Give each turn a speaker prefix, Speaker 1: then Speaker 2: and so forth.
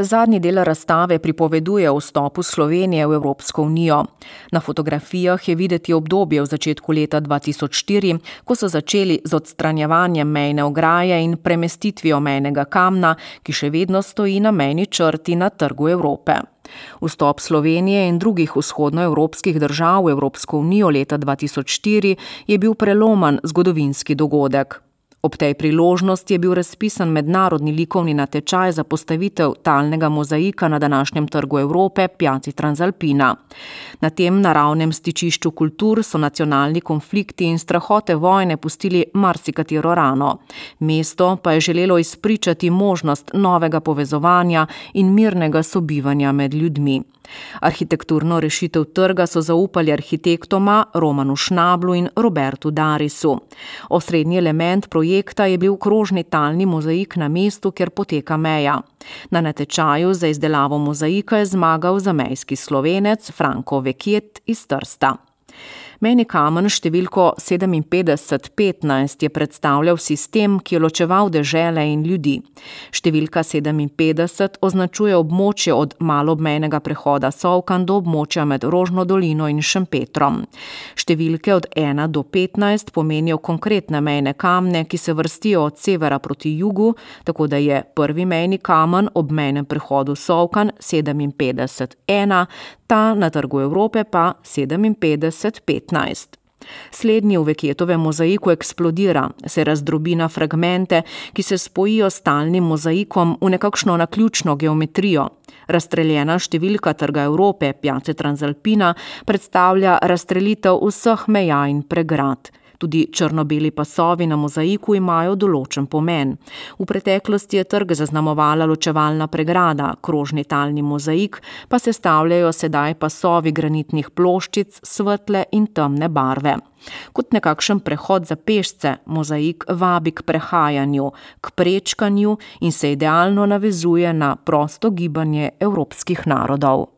Speaker 1: Zadnji del razstave pripoveduje o vstopu Slovenije v Evropsko unijo. Na fotografijah je videti obdobje v začetku leta 2004, ko so začeli z odstranjevanjem mejne ograje in premestitvijo mejnega kamna, ki še vedno stoji na mejni črti na Trgu Evrope. Vstop Slovenije in drugih vzhodnoevropskih držav v Evropsko unijo leta 2004 je bil prelomen zgodovinski dogodek. Ob tej priložnosti je bil razpisan mednarodni likovni natečaj za postavitev talnega mozaika na današnjem Trgu Evrope, Piazzi Transalpina. Na tem naravnem stičišču kultur so nacionalni konflikti in strahote vojne pustili marsikatero rano. Mesto pa je želelo izpričati možnost novega povezovanja in mirnega sobivanja med ljudmi. Arhitekturno rešitev trga so zaupali arhitektoma Romanu Schnablu in Robertu Darisu. Osrednji element projekta je bil krožni talni mozaik na mestu, kjer poteka meja. Na natečaju za izdelavo mozaika je zmagal zamejski Slovenec Franko Vekjet iz Trsta. Mejni kamen številko 5715 je predstavljal sistem, ki je ločeval dežele in ljudi. Številka 57 označuje območje od maloobmejnega prehoda Solkan do območja med Rožno dolino in Šempetrom. Številke od 1 do 15 pomenijo konkretne mejne kamne, ki se vrstijo od severa proti jugu, tako da je prvi mejni kamen ob mejnem prehodu Solkan 57-1, ta na Trgu Evrope pa 57-15. Slednji v Vekjetovem mozaiku eksplodira, se razdrobi na fragmente, ki se spojijo s talnim mozaikom v nekakšno naključno geometrijo. Razstreljena številka Trga Evrope, Piazze Transalpina, predstavlja razstrelitev vseh meja in pregrad. Tudi črno-beli pasovi na mozaiku imajo določen pomen. V preteklosti je trg zaznamovala ločevalna pregrada, krožni talni mozaik pa sestavljajo sedaj pasovi granitnih ploščic svetle in temne barve. Kot nekakšen prehod za pešce, mozaik vabi k prehajanju, k prečkanju in se idealno navezuje na prosto gibanje evropskih narodov.